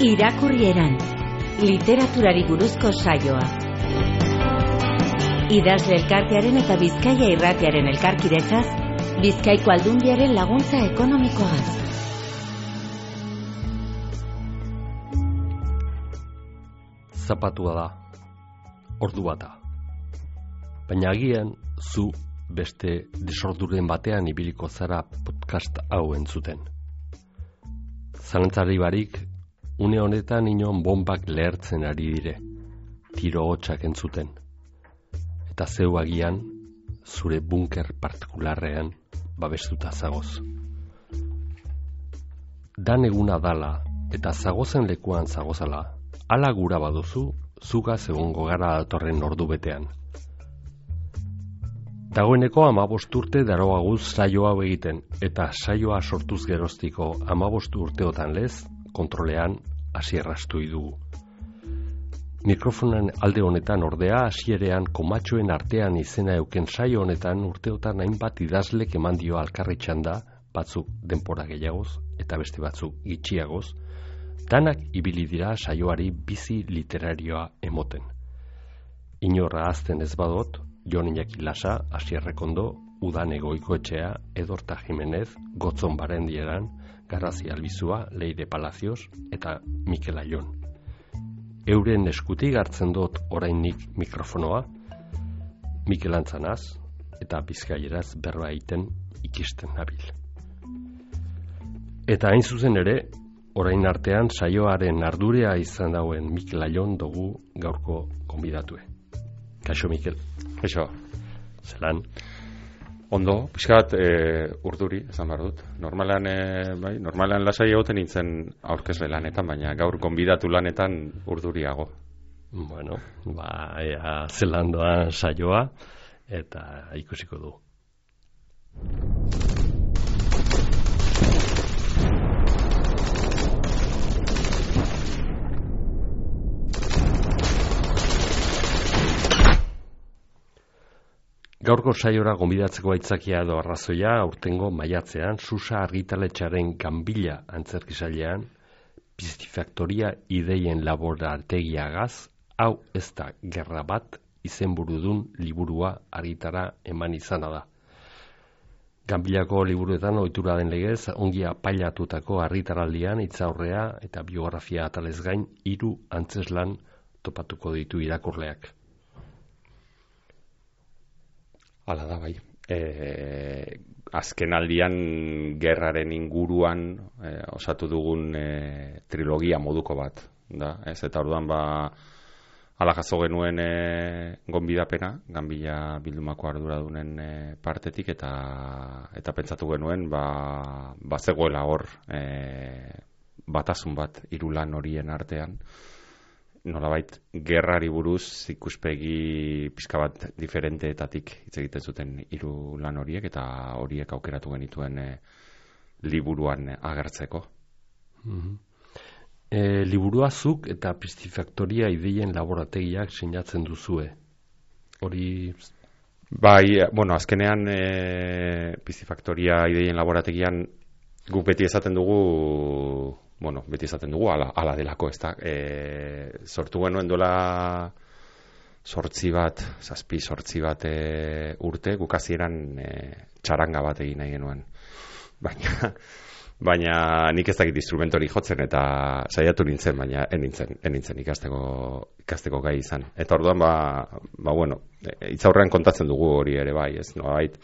Irakurrieran, literaturari buruzko saioa. Idazle elkartearen eta Bizkaia Irratiaren elkarkidetzaz, Bizkaiko Aldundiaren laguntza ekonomikoaz. Zapatua da, ordu bata. Baina agian zu beste desorduren batean ibiliko zara podcast hau entzuten. Zalantzari barik, une honetan inon bombak lehertzen ari dire, tiro hotsak entzuten. Eta zeu agian, zure bunker partikularrean babestuta zagoz. Dan eguna dala eta zagozen lekuan zagozala, ala gura baduzu, zugaz egongo gara datorren ordu betean. Dagoeneko 15 urte daroaguz saio hau egiten, eta saioa sortuz geroztiko 15 urteotan lez, kontrolean hasierrastu dugu. Mikrofonen alde honetan ordea hasierean komatxoen artean izena euken saio honetan urteotan hainbat idazlek eman dio alkarri txanda, batzuk denpora gehiagoz eta beste batzuk gitxiagoz, danak ibili dira saioari bizi literarioa emoten. Inorra azten ez badot, Jon Iñaki Lasa, Asier Rekondo, Udane Goikoetxea, Edorta Jimenez, Gotzon Barendieran, Garrazi Albizua, Leire Palacios eta Mikel Aion. Euren eskutik hartzen dut orainik mikrofonoa, Mikel Antzanaz eta Bizkaieraz berba egiten ikisten nabil. Eta hain zuzen ere, orain artean saioaren ardurea izan dauen Mikel Aion dugu gaurko gonbidatue. Kaixo Mikel. Kaixo. Zelan? Ondo, pixkat urduri, esan behar dut. Normalan lasai egoten nintzen aurkezle lanetan, baina gaur gonbidatu lanetan urduriago. Bueno, zelan doa saioa, eta ikusiko du. Gaurko saiora gonbidatzeko aitzakia edo arrazoia aurtengo maiatzean Susa argitaletxaren Ganbila antzerkisailean Pistifaktoria ideien laborategiagaz hau ez da gerra bat izenburudun liburua argitara eman izana da. Ganbilako liburuetan ohitura den legez ongi apailatutako argitaraldian hitzaurrea eta biografia atalez gain 3 antzeslan topatuko ditu irakurleak. Hala da, bai. Azken aldian gerraren inguruan osatu dugun trilogia moduko bat. Da, ez? Eta orduan hala jaso genuen gonbidapena, Ganbila bildumako arduradunen partetik, eta pentsatu genuen zegoela hor batasun bat 3 lan horien artean. Nolabait gerrari buruz ikuspegi pixka bat diferenteetatik hitz egiten zuten 3 lan horiek, eta horiek aukeratu genituen liburuan agertzeko. Liburua zuk eta Pistifaktoria ideien laborategiak sinatzen duzue. Hori... Bai, azkenean Pistifaktoria ideien laborategian guk beti esaten dugu... ala delako, ez da. Sortu genuen dola 7 bat urte, guk hasieran txaranga bat egin nahi genuen. Baina nik ez dakit instrumentori jotzen eta saiatu nintzen, baina enintzen ikasteko gai izan. Eta orduan, hitzaurrean kontatzen dugu hori ere bai, ez nolabait.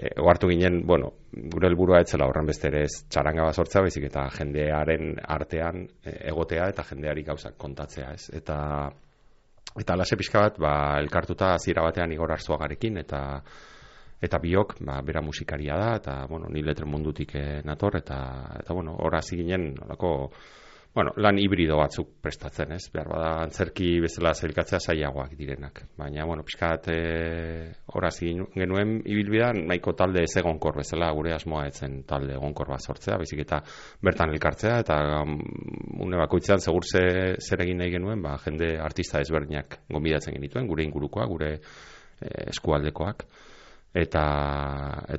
Ohartu ginen, gure helburua etzela horren beste ere ez txaranga bat sortzea, baizik eta jendearen artean egotea eta jendeari gauzak kontatzea, ez? Eta lase pixka bat, elkartuta hasiera batean Igor Arzuagarekin, eta biok, bera musikaria da, eta, ni letren mundutik nator, eta hor hasi ginen, Bueno, lan hibrido batzuk prestatzen, ez? Behar bada antzerki bezala zailkatzea zailagoak direnak. Baina, bueno, pixkat horaz genuen ibilbidean nahiko talde ez egonkor bezala, gure asmoa etzen talde egonkor bat sortzea, baizik eta bertan elkartzea, eta une bakoitzean segur zer egin nahi genuen, jende artista ezberdinak gonbidatzen genituen, gure ingurukoak, gure eskualdekoak. Eta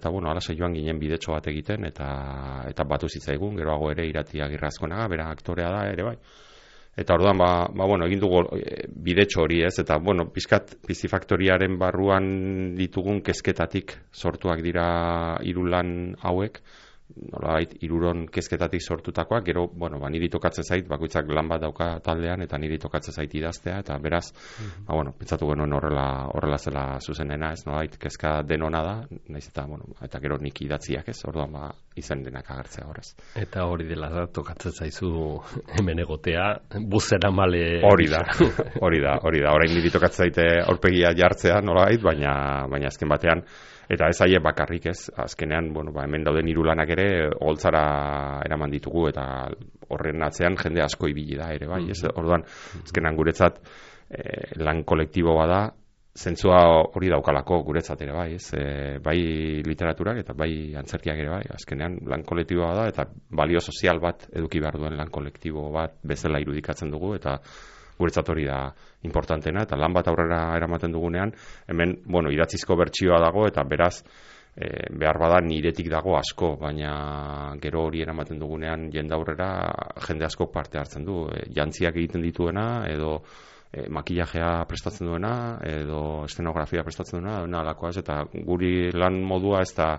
bueno, alaxe joan ginen bidetxo bat egiten, eta batu zitzaigun, geroago ere Irati Agirrazkonaga, bera aktorea da ere bai. Eta orduan, bueno, egin dugu bidetxo hori ez, eta bueno, pizkat Pizifaktoriaren barruan ditugun kezketatik sortuak dira 3 lan hauek, nolabait 3 kezketatik sortutakoak, gero, bueno, niri tokatzen zait, bakoitzak lan bat dauka taldean, eta niri tokatzen zait idaztea, eta beraz, bueno, pentsatu genuen horrela zela zuzenena, ez, nolabait, kezka denona da, naiz eta, bueno, eta gero nik idatziak ez, orduan, izen denak agertzea horrez. Eta hori dela da, tokatzen zaizu hemen egotea, buzera male... Hori da, orain niri tokatzen zaite aurpegia jartzea, nolabait, baina azken batean, eta ez aie bakarrik ez, azkenean, bueno, hemen dauden 3 lanak ere holtzara eraman ditugu, eta horren atzean jende asko ibili da ere, bai, ez? Orduan, azkenean guretzat lan kolektibo bada, zentzua hori daukalako guretzat ere, bai, ez? Bai literaturak eta bai antzerkiak ere, bai, azkenean lan kolektibo bada, eta balio sozial bat eduki behar duen lan kolektibo bat bezala irudikatzen dugu, eta guretzat hori da importantena, eta lan bat aurrera eramaten dugunean, hemen, bueno, idatzizko bertsioa dago, eta beraz, behar bada niretik dago asko, baina gero hori eramaten dugunean jende aurrera jende asko parte hartzen du, jantziak egiten dituena, edo makillajea prestatzen duena, edo estenografia prestatzen duena, alakoaz, eta guri lan modua ez da,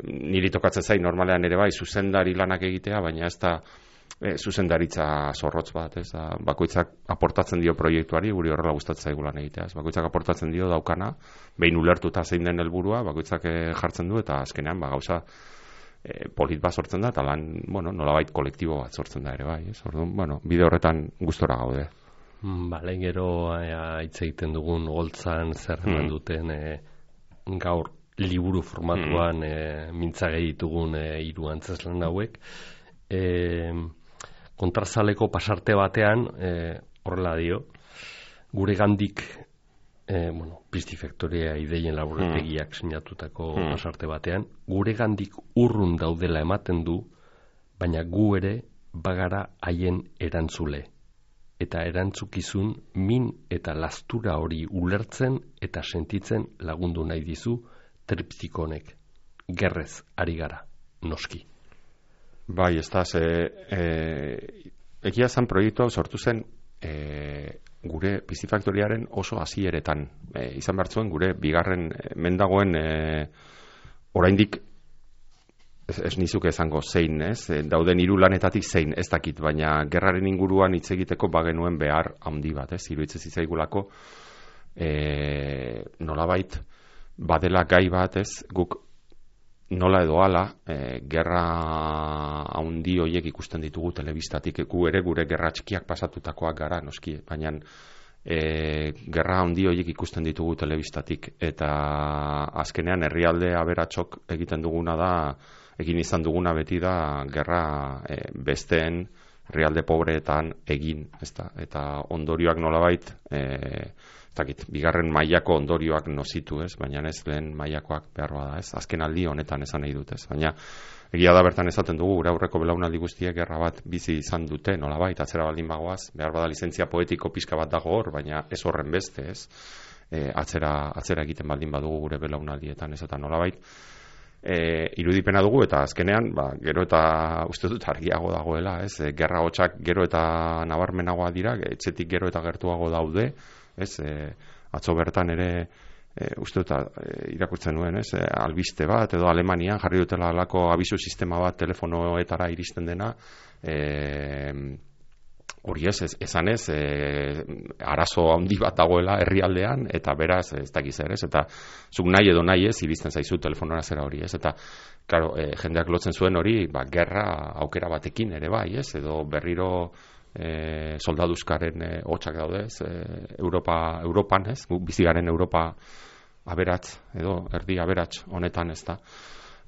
niri tokatzen zain normalean ere bai, zuzendari lanak egitea, baina ez da, zuzendaritza zorrotz bat, ez da, bakoitzak aportatzen dio proiektuari, guri horrela gustatzen zaigu lan egitea, ez, bakoitzak aportatzen dio daukana, behin ulertuta zein den helburua, bakoitzak jartzen du, eta azkenean, gauza polit bat sortzen da, eta lan, bueno, nolabait kolektibo bat sortzen da ere bai, ez, orduan, bueno, bide horretan gustora gaude. Bale, gero hitz egiten dugun holtzan zer duten gaur liburu formatuan mintzage ditugun 3 antzeslan hauek, kontrazaleko pasarte batean horrela dio, gure gandik Pizifaktoria ideien laborategiak sinatutako pasarte batean, gure gandik urrun daudela ematen du, baina gu ere bagara haien erantzule, eta erantzukizun min eta lastura hori ulertzen eta sentitzen lagundu nahi dizu triptikonek. Gerrez ari gara, noski. Bai, ez da, egia zan proiektu sortu zen gure Pizifaktoriaren oso hasieretan. Izan behar zuen gure bigarren mendagoen oraindik ez nizuke esango zein, ez? Dauden 3 lanetatik zein, ez dakit, baina gerraren inguruan hitz egiteko bagenuen behar handi bat, ez? Iruditzen zitzaigulako nolabait badela gai bat, ez? Guk nola edo hala, gerra handi horiek ikusten ditugu telebistatik, gu ere gure gerra txikiak pasatutakoak gara, noski, baina gerra handi horiek ikusten ditugu telebistatik, eta azkenean herrialde aberatsok egiten duguna da, egin izan duguna beti da, gerra besteen herrialde pobreetan egin, ezta? Eta ondorioak nolabait, bigarren mailako ondorioak nozitu, ez? Baina ez lehen mailakoak behar bada, ez? Azken aldi honetan esan nahi dut, ez? Baina egia da bertan esaten dugu, gure aurreko belaunaldi guztiek gerra bat bizi izan dute, nolabait, atzera baldin bagoaz, behar bada lizentzia poetiko pixka bat dago hor, baina ez horren beste, ez? Atzera egiten baldin badugu gure belaunaldietan, ez? Eta nolabait, irudipena dugu, eta azkenean, gero eta uste dut argiago dagoela, ez? Gerra hotxak gero eta nabarmenagoa dira, etxetik gero eta gertuago daude, ez? Atzo bertan ere uste dut irakurtzen nuen, ez? Albiste bat, edo Alemanian jarri dutela alako abisu sistema bat telefonoetara iristen dena, hori esan ez, arazo handi bat dagoela herrialdean, eta beraz, ez dakiz ere, ez? Eta zuk nahi edo nahi ez, iristen zaizu telefonora zera hori, ez? Eta, claro, jendeak lotzen zuen hori, gerra aukera batekin ere bai, ez? Edo berriro soldaduzkaren hotxak daude, ez? Europan, ez? Bizigaren Europa aberats, edo erdi aberats honetan, ez da?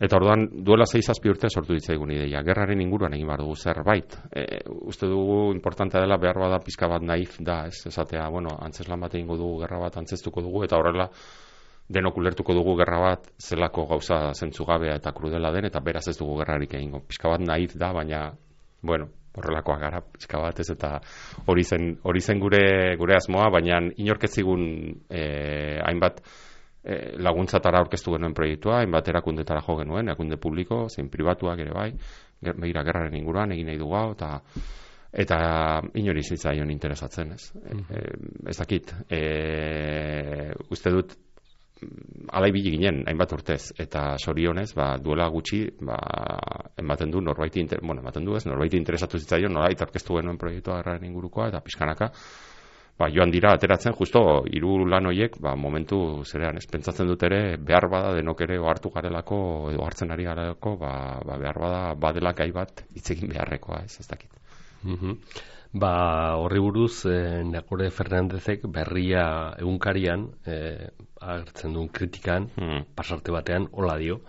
Eta orduan, duela 6-7 urte sortu ditzaigun ideia. Gerraren inguruan egin behar dugu zerbait. Uste dugu importantea dela, behar bada pizka bat naif da, ez esatea, antzeslan bat egingo dugu, gerra bat antzestuko dugu, eta horrela denok ulertuko dugu gerra bat zelako gauza zentzugabea eta krudela den, eta beraz ez dugu gerrarik egingo. Pizka bat naif da, baina, horrelakoa gara pizka bat ez, eta hori zen gure asmoa, baina inork ez zigun hainbat laguntzatara aurkeztu genuen proiektua, hainbat erakundetara jo genuen, erakunde publiko, zein pribatuak ere bai, begira gerraren inguruan egin nahi dugu hau, eta inori zitzaion interesatzen, ez? Ez dakit, uste dut alaibili ginen, hainbat urtez, eta sorionez, duela gutxi, ematen du norbaiti interesatu zitzaion, norbait aurkeztu genuen proiektua gerraren ingurukoa, eta pixkanaka, joan dira ateratzen, justo, 3 lan horiek, momentu zerean, ez pentsatzen dut ere, behar bada denok ere ohartu garelako, edo hartzen ari garelako, behar bada badela gai bat hitzekin beharrekoa, ez dakit. Horri buruz, Nagore Fernandezek berria egunkarian, agertzen duen kritikan, pasarte batean, hola dio,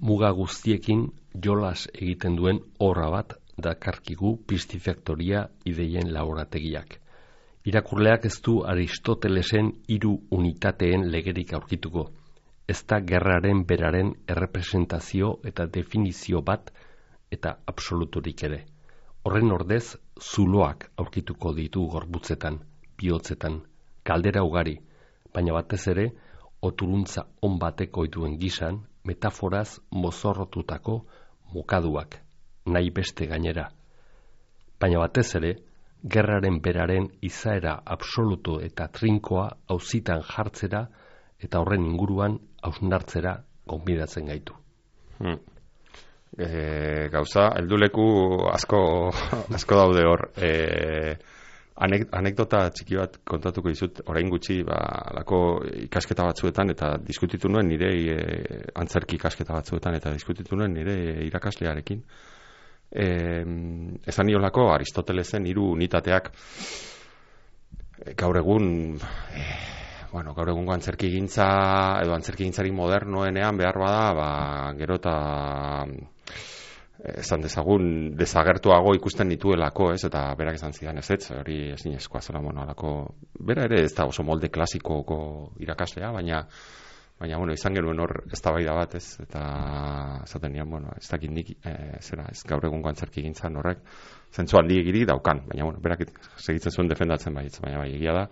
muga guztiekin jolas egiten duen horra bat dakarkigu pistifaktoria ideien laborategiak. Irakurleak ez du Aristotelesen 3 unitateen legerik aurkituko. Ez da gerraren beraren errepresentazio eta definizio bat eta absoluturik ere. Horren ordez, zuloak aurkituko ditu gorputzetan, bihotzetan, kaldera ugari, baina batez ere, oturuntza on bateko dituen gisan, metaforaz mozorrotutako mokaduak, nahi beste gainera. Baina batez ere, gerraren beraren izaera absolutu eta trinkoa auzitan jartzera eta horren inguruan hausnartzera gonbidatzen gaitu. Gauza, helduleku asko daude hor. Anekdota txiki bat kontatuko dizut, orain gutxi lako ikasketa batzuetan eta diskutitu nuen nire antzerki ikasketa batzuetan eta diskutitu nuen nire irakaslearekin. Esan niolako Aristotelesen 3 unitateak gaur egungo antzerkigintza edo antzerkigintzari modernoenean behar bada, gero eta esan dezagun desagertuago ikusten dituelako, ez, eta berak esan zidan ez, hori ezinezkoa zela, bera ere ez da oso molde klasikoko irakaslea, baina izan genuen hor eztabaida bat, ez, eta esaten nian, ez dakit nik, ez gaur egungo antzerkigintzan horrek, zentzu handigirik daukan, baina, berak segitzen zuen defendatzen baitz, baina egia da,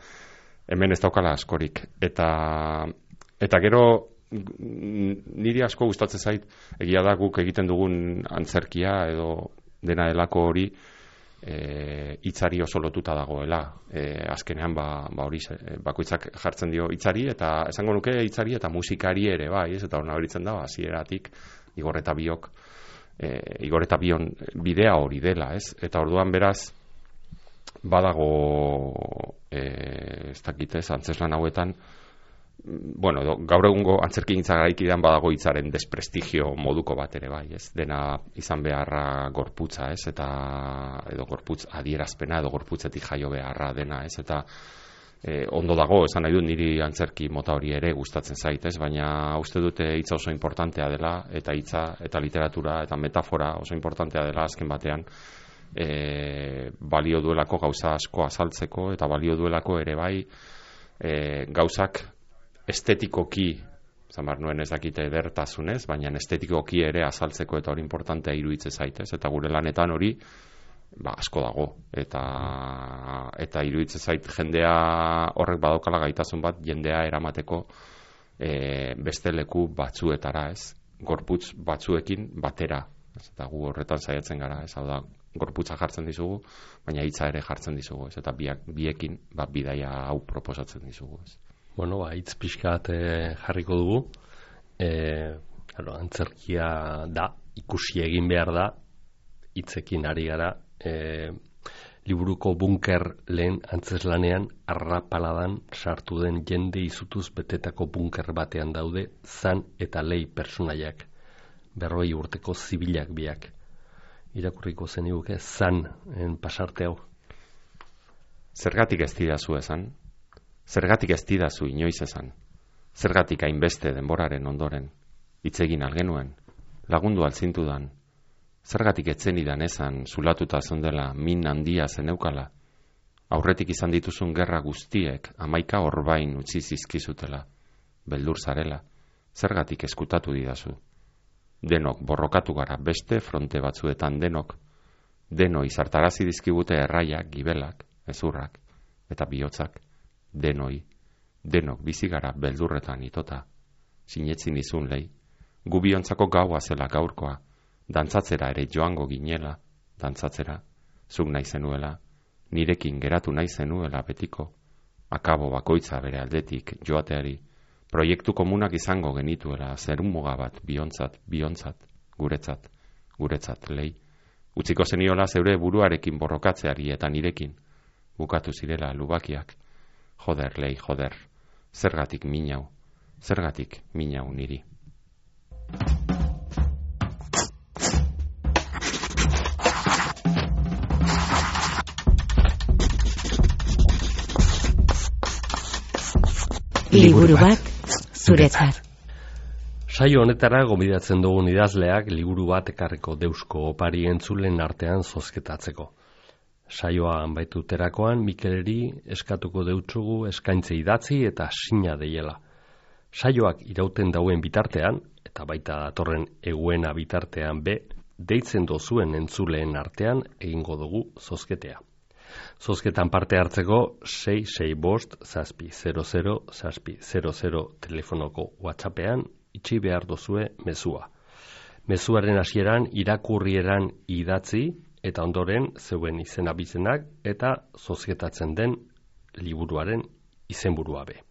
hemen ez daukala askorik, eta gero, niri asko gustatzen zait, egia da guk egiten dugun antzerkia, edo dena delako hori, hitzari oso lotuta dagoela. Azkenean hori bakoitzak jartzen dio hitzari, eta esango nuke hitzari eta musikari ere bai, ez, eta hor nabaritzen da hasieratik Igor eta Bion bidea hori dela, ez? Eta orduan beraz badago ez dakit, ez, antzeslan hauetan gaur egungo antzerkigintza garaikidean badago hitzaren desprestigio moduko bat ere bai, ez, dena izan beharra gorputza, ez, eta edo gorputz adierazpena edo gorputzetik jaio beharra dena, ez, eta ondo dago, esan nahi dut niri antzerki mota hori ere gustatzen zait, ez, baina uste dute hitza oso importantea dela, eta hitza eta literatura eta metafora oso importantea dela azken batean, balio duelako gauza asko azaltzeko, eta balio duelako ere bai gauzak estetikoki, zamar nuen ez dakite edertasunez, baina estetikoki ere azaltzeko eta hori importantea iruditzen zaitez, eta gure lanetan hori asko dago, eta iruditzen zait jendea horrek badaukala gaitasun bat jendea eramateko beste leku batzuetara, ez, gorputz batzuekin batera, ez, eta gu horretan saiatzen gara, ez, hau da, gorputza jartzen dizugu, baina hitza ere jartzen dizugu, ez, eta biekin bidaia hau proposatzen dizugu, ez. Hitz pixkat jarriko dugu, antzerkia da, ikusi egin behar da, hitzekin ari gara, liburuko bunker lehen antzeslanean arrapaladan sartu den jende izutuz betetako bunker batean daude Zan eta Lei pertsonaiak, 40 urteko zibilak biak. Irakurriko zeniguke Zan pasarte hau. Zergatik ez didazu esan? Zergatik ez didazu inoiz esan? Zergatik hainbeste denboraren ondoren hitz egin algenuen? lagundu altzintudan. Zergatik etzenidan esan, zulatuta zondela, min handia zeneukala. Aurretik izan dituzun gerra guztiek 11 orbain utzi zizkizutela. Beldur zarela, zergatik eskutatu didazu. Denok borrokatu gara beste fronte batzuetan denok. Denoi zartarazi dizkigute erraiak, gibelak, ezurrak eta bihotzak. Denok bizi gara beldurretan itota. Sinetzin izun lei, gu biontzako gaua zela gaurkoa, dantzatzera ere joango ginela, dantzatzera, zuk nahi zenuela, nirekin geratu nahi zenuela betiko, akabo bakoitza bere aldetik joateari, proiektu komunak izango genituela, zerumuga bat biontzat, guretzat lei, utziko zeniola zeure buruarekin borrokatzeari eta nirekin, bukatu zirela lubakiak, joder lei, joder, zergatik minau niri. Liburu bat zuretzat. Saio honetara gonbidatzen dugun idazleak liburu bat ekarriko deusko opari entzulen artean zozketatzeko. Saioa anbaituterakoan Mikeleri eskatuko deutsugu eskaintze idatzi eta sina deiela. Saioak irauten dauen bitartean, eta baita datorren eguena bitartean deitzen dozuen entzuleen artean egingo dugu zozketea. Zozketan parte hartzeko 665-0000 telefonoko WhatsAppean itxi behar dozue mezua. Mezuaren hasieran irakurrieran idatzi eta ondoren zeuen izen abizenak eta zozketatzen den liburuaren izenburua be.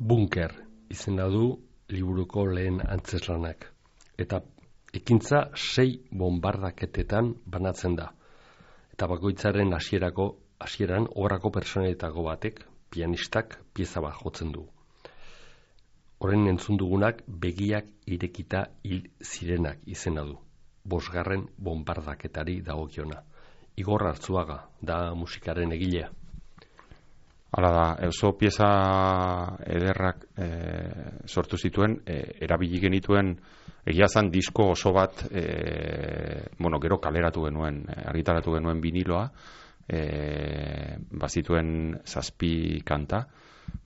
Bunker izena du liburuko lehen antzeslanak. Eta Ekintza 6 bombardaketetan banatzen da. Eta bakoitzaren hasieran obrako personetako batek, pianistak, pieza bat jotzen du. Horren entzun dugunak begiak irekita hil zirenak izena du. 5. bombardaketari dagokiona. Igor Artzuaga da musikaren egilea. Hala da, oso pieza ederrak sortu zituen, erabili genituen egia zan disko oso bat, gero kaleratu genuen, argitaratu genuen viniloa, bazituen 7 kanta,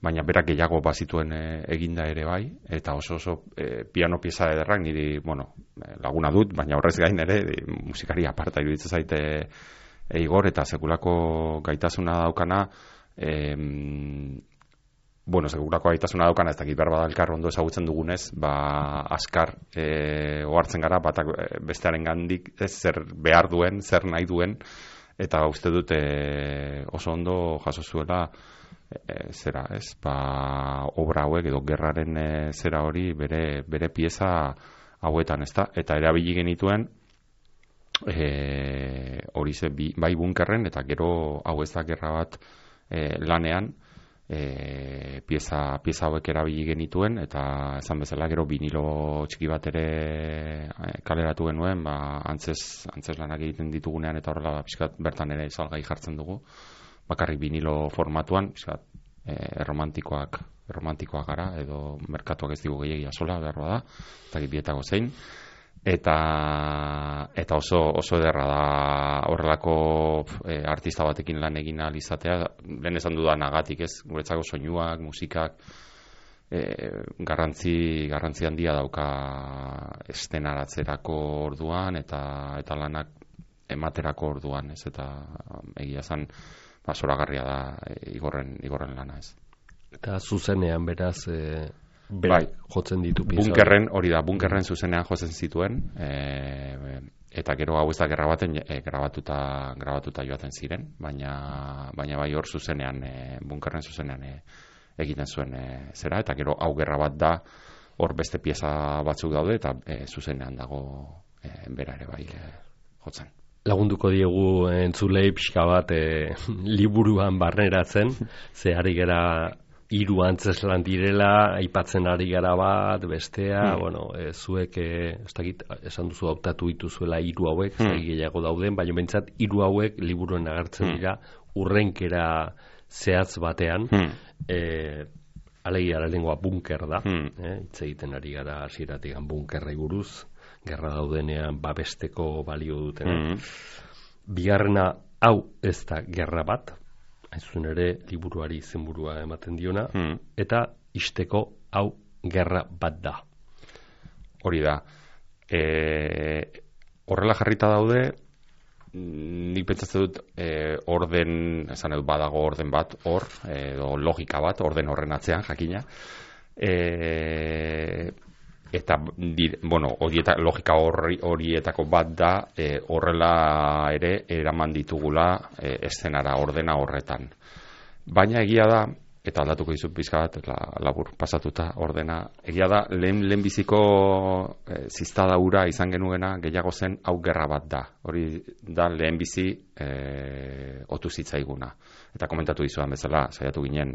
baina berak gehiago bazituen eginda ere bai, eta oso piano pieza ederrak, niri, laguna dut, baina horrez gain ere, musikari aparta iruditzen zaite Igor, eta sekulako gaitasuna daukana, segurako gaitasuna daukana, ez dakit behar badalkar ondo ezagutzen dugunez, askar ohartzen gara, batak bestearen gandik zer behar duen, zer nahi duen, eta uste dut oso ondo jaso zuela obra hauek edo gerraren zera hori bere pieza hauetan, ezta? Eta erabili genituen hori bai bunkerren, eta gero hau ez da gerra bat lanean, pieza hauek erabili genituen, eta esan bezala gero vinilo txiki bat ere kaleratu genuen, antzes lanak egiten ditugunean, eta horrela pixkat bertan ere salgai jartzen dugu, bakarrik vinilo formatuan, pixkat erromantikoak gara, edo merkatuak ez digu gehiagia sola, behar bada, eta bietako zein. Eta oso ederra da horrelako artista batekin lan egin ahal izatea, lehen esan dudanagatik, ez, guretzako soinuak, musikak, garrantzi handia dauka estenaratzerako orduan eta lanak ematerako orduan, ez, eta egia zan zoragarria da Igorren lana, ez. Eta zuzenean beraz jotzen ditu pieza. Bunkerren zuzenean jotzen zituen, eta gero hau ez da gerra baten grabatuta joaten ziren, baina bai hor zuzenean, bunkerren zuzenean egiten zuen zera, eta gero hau gerra bat da, hor beste pieza batzuk daude, eta zuzenean dago bera ere bai jotzen. Lagunduko diegu entzulei pixka bat liburuan barneratzen, ze ari gara 3 antzeslan direla, aipatzen ari gara bat, bestea, zuek, ez dakit, esan duzu hautatu dituzuela 3 hauek, gehiago dauden, baina bentsat 3 hauek liburuen agertzen dira, urrenkera zehatz batean, alegia lehengoa bunker da, hitz egiten ari gara hasieratik bunkerrei buruz, gerra daudenean babesteko balio dutena. Bigarrena, hau ez da gerra bat, hain zuzen ere liburuari izenburua ematen diona, eta isteko hau gerra bat da. Hori da. Horrela jarrita daude, nik pentsatzen dut orden, esan dut badago orden bat, edo logika bat, orden horren atzean, jakina. Eta, logika horietako bat da, horrela ere eraman ditugula eszenara, ordena horretan. Baina egia da, eta aldatuko dizut pizka bat, labur pasatuta ordena, egia da, lehen biziko ziztada ura izan genuena gehiago zen hau gerra bat da. Hori da lehen bizi otu zitzaiguna. Eta komentatu dizudan bezala, saiatu ginen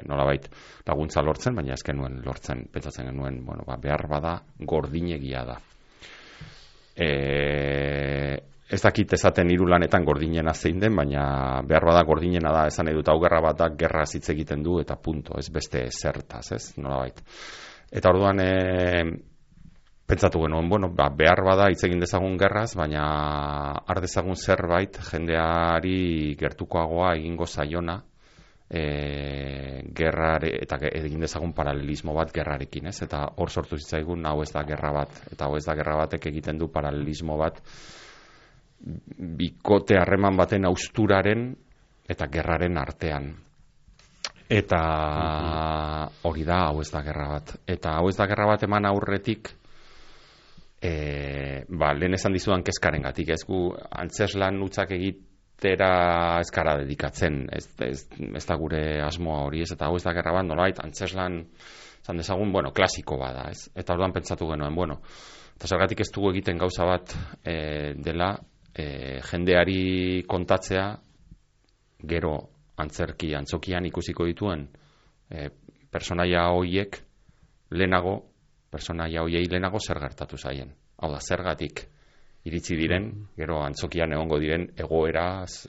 nolabait laguntza lortzen, baina ez genuen lortzen, pentsatzen genuen, behar bada gordinegia da. Ez dakit esaten 3 lanetan gordinena zein den, baina behar bada gordinena da, esan edut hau gerra bat da, gerra hitz egiten du, eta punto, ez beste zertaz, ez, nolabait. Eta orduan, pentsatu genuen, behar bada hitz egin dezagun gerraz, baina har dezagun zerbait jendeari gertukoagoa egingo zaiona gerrare, eta egin dezagun paralelismo bat gerrarekin, ez? Eta hor sortu zitzaigun hau ez da gerra bat, eta hau ez da gerra batek egiten du paralelismo bat bikote harreman baten hausturaren eta gerraren artean. Eta hori da, hau ez da gerra bat. Eta hau ez da gerra bat eman aurretik, lehen esan dizudan kezkaren gatik, ez gu antzeslan utzak egitera ezkara dedikatzen, ez da gure asmoa hori, ez, eta hau ez da gerra bat, nolait, antzeslan zan dezagun, klasiko bada, ez? Eta orduan pentsatu genuen, eta zergatik ez dugu egiten gauza bat dela jendeari kontatzea gero antzokian ikusiko dituen personaia horiei lehenago zer gertatu zaien. Hau da, zergatik iritsi diren, gero antzokian egongo diren egoeraz,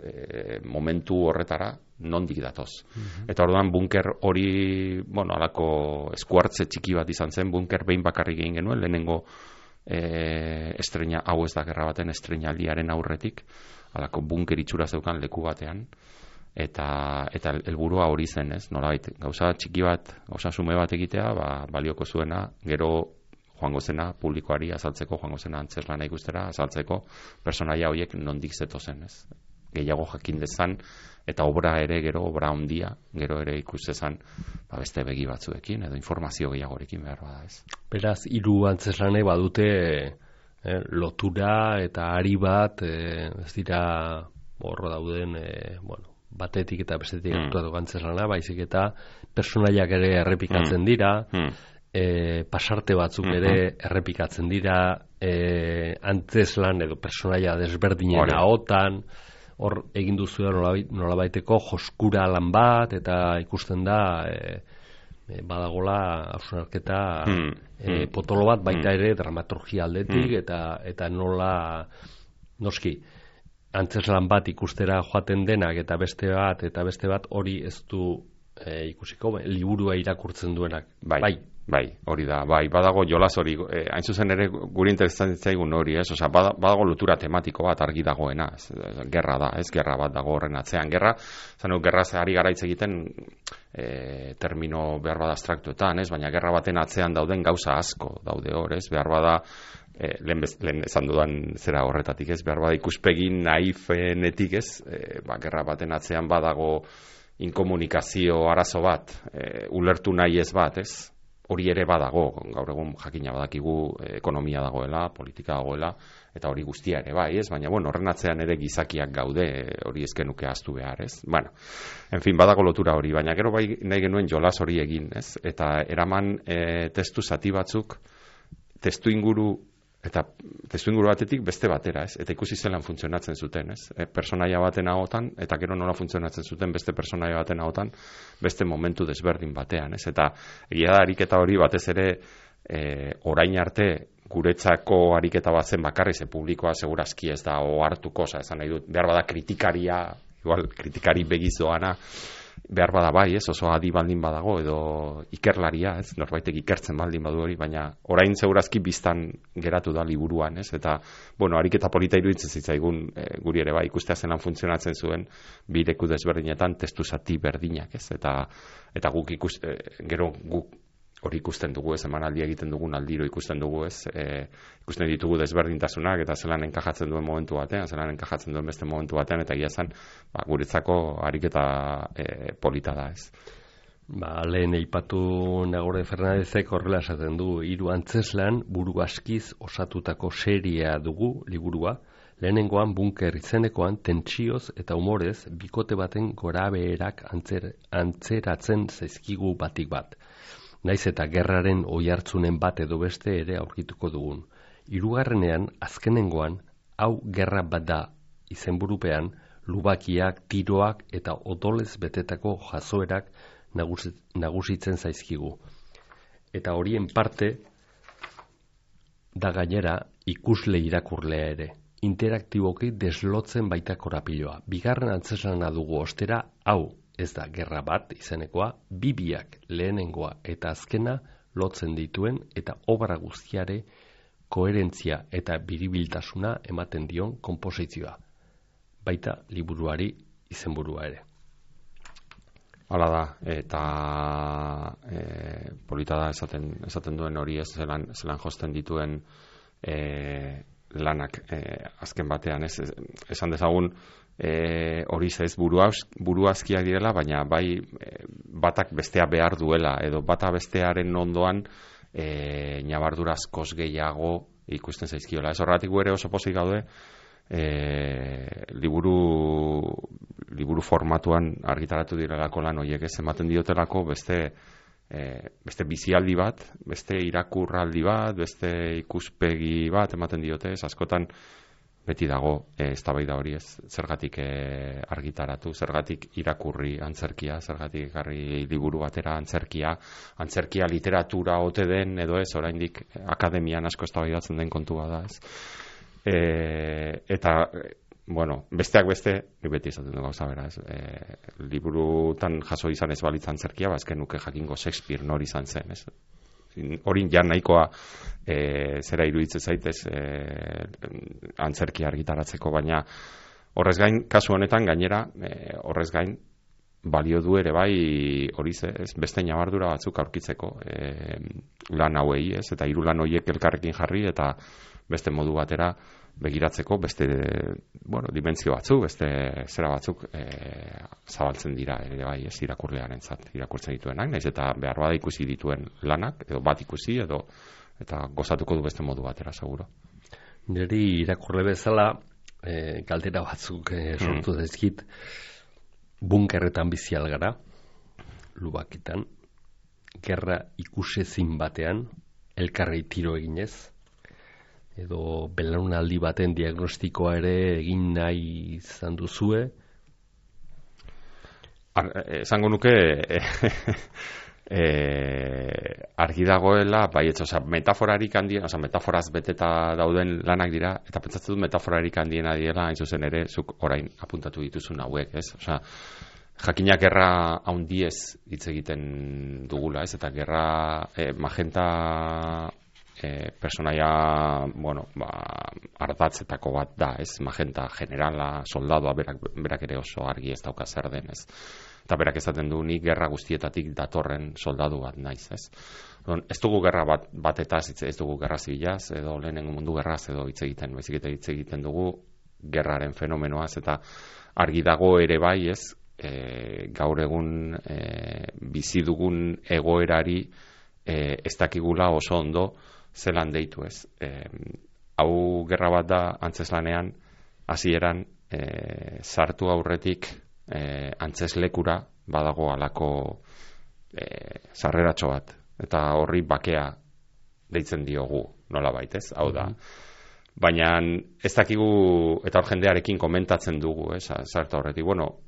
momentu horretara, nondik datoz. Eta orduan bunker hori, alako eskuartze txiki bat izan zen, bunker behin bakarrik egin genuen, lehenengo estrena, hau ez da gerra baten estrenaldiaren aurretik, alako bunker itxura zeukan leku batean, eta helburua hori zen, ez? Nolabait, gauza txiki bat, gauza sume bat egitea, balioko zuena, gero joango zena publikoari azaltzeko, joango zena antzeslana ikustera azaltzeko, personaia horiek nondik zetozen, ez? Gehiago jakin dezan, eta obra handia, gero ere ikustezan, beste begi batzuekin, edo informazio gehiagorekin behar bada, ez? Beraz, 3 antzeslanei badute lotura eta ari bat, ez dira horro dauden, batetik eta bestetik aktuatu antzeslana, baizik eta personaiak ere errepikatzen dira, pasarte batzuk ere errepikatzen dira, antzeslan edo personaia desberdinen ahotan, hor egin duzu nolabaiteko joskura lan bat, eta ikusten da badagola hausnarketa potolo bat baita ere dramaturgia aldetik, eta nola noski antzeslan bat ikustera joaten denak eta beste bat hori ez du ikusiko, liburua irakurtzen duenak. Bai, hori da, badago jolas hori, hain zuzen ere guri interesatzen zaigun hori, ez? Osea, badago lotura tematiko bat argi dagoena, gerra da, ez? Gerra bat dago horren atzean. Gerra ari gara hitz egiten termino behar bada abstraktuetan, ez? Baina gerra baten atzean dauden gauza asko daude hor, ez? Behar bada, lehen esan dudan zera horretatik, ez? Behar bada ikuspegin naifenetik, ez? Gerra baten atzean badago inkomunikazio arazo bat, ulertu nahi ez bat, ez? Hori ere badago, gaur egun jakina badakigu ekonomia dagoela, politika dagoela, eta hori guztia ere bai, ez? Baina, horren atzean ere gizakiak gaude, hori ezkenuke ahaztu behar, ez? En fin, badago lotura hori, baina gero bai nahi genuen jolas hori egin, ez? Eta eraman testu zati batzuk, testuinguru batetik beste batera, ez? Eta ikusi zelan funtzionatzen zuten, ez? Personaia baten ahotan, eta gero nola funtzionatzen zuten beste personaia baten ahotan, beste momentu desberdin batean, ez? Eta egia da ariketa hori batez ere orain arte guretzako ariketa bat zen bakarri, ze publikoa segurazki ez da ohartuko, esan nahi dut, behar bada kritikari begizoana, behar bada bai, ez, oso adi baldin badago, edo ikerlaria, ez, norbaitek ikertzen baldin badu hori, baina orain segurazki biztan geratu da liburuan, ez, eta, ariketa polita iruditzen zitzaigun guri ere bai, ikustea zelan funtzionatzen zuen, bi leku desberdinetan testu zati berdinak, ez, eta guk gero guk hori ikusten dugu, ez, emanaldi egiten dugun aldiro ikusten dugu, ez, ikusten ditugu desberdintasunak, eta zelan enkajatzen duen momentu batean, zelan enkajatzen duen beste momentu batean, eta egia zen, guretzako ariketa polita da, ez. Lehen eipatu Nagore Fernandezek horrela esaten du, 3 antzeslan buru askiz osatutako seria dugu liburua, lehenengoan bunker izenekoan tentsioz eta humorez bikote baten gorabeherak antzeratzen zaizkigu batik bat. Naiz eta gerraren oihartzunen bat edo beste ere aurkituko dugun. 3. azkenengoan, hau gerra bat da izenburupean, lubakiak, tiroak eta odolez betetako jazoerak nagusitzen zaizkigu. Eta horien parte da gainera ikusle irakurlea ere. Interaktiboki deslotzen baita korapiloa. 2. antzeslana dugu ostera, hau ez da gerra bat izenekoa, biak lehenengoa eta azkena lotzen dituen eta obra guztiare koherentzia eta biribiltasuna ematen dion konposizioa. Baita liburuari izenburua ere. Hala da, eta polita da esaten duen hori, ez zelan josten dituen lanak azken batean, ez esan dezagun hori ez buruazkiak direla, baina bai batak bestea behar duela, edo bata bestearen ondoan ñabardura askoz gehiago ikusten zaizkiola. Ez horretik ere oso pozik gaude liburu formatuan argitaratu direlako lan horiek, ez ematen diotelako beste beste bizialdi bat, beste irakurraldi bat, beste ikuspegi bat ematen diote, askotan beti dago eztabaida hori, ez, zergatik argitaratu, zergatik irakurri antzerkia, zergatik ekarri liburu batera antzerkia literatura ote den edo ez, oraindik akademian asko eztabaidatzen den kontua da, ez. Eta bueno, besteak beste, beti izaten du gauza bera, ez. Liburutan jaso izan ez balitz antzerkia, bazken nuke jakingo Shakespeare nor izan zen, ez. Hori ja nahikoa zera iruditzen zaitez antzerkia argitaratzeko, baina horrez gain, kasu honetan gainera, horrez gain, balio du ere bai hori ez, beste ñabardura batzuk aurkitzeko lan hauei, ez, eta hiru lan horiek elkarrekin jarri eta beste modu batera begiratzeko beste dimentsio batzuk, beste zera batzuk zabaltzen dira ere bai, ez, irakurlearentzat, irakurtzen dituenak, naiz eta behar bada ikusi dituen lanak, edo bat ikusi, eta gozatuko du beste modu batera, seguro. Niri irakurle bezala galdera batzuk sortu dezkit, bunkerretan bizi algara, lubakitan, gerra ikusezin batean, elkarri tiro eginez, edo belaunaldi baten diagnostikoa ere egin nahi izan duzue? Esango nuke argi dagoela, bai, metaforarik handien, metaforaz beteta dauden lanak dira, eta pentsatzen dut metaforarik handiena diela, hain zuzen ere, zuk orain apuntatu dituzun hauek, ez? Jakinak gerra handiez hitz egiten dugula, ez? Eta gerra magenta personaia, ardatzetako bat da, ez, magenta generala, soldadoa, berak ere oso argi ez dauka zer den, ez. Eta berak esaten du, ni gerra guztietatik datorren soldadu bat naiz, ez. Ez dugu gerra batetaz, ez dugu gerra zibilaz, edo lehenengo mundu gerraz, edo hitz egiten, baizik eta hitz egiten dugu gerraren fenomenoaz, eta argi dago ere bai, ez, gaur egun bizi dugun egoerari ez dakigula oso ondo zelan deitu, ez. Hau gerra bat da antzeslanean, hasieran sartu aurretik antzeslekura badago alako sarreratxo bat, eta horri bakea deitzen diogu nolabait, ez. Hau da. Baina ez dakigu, eta hor jendearekin komentatzen dugu, sartu aurretik.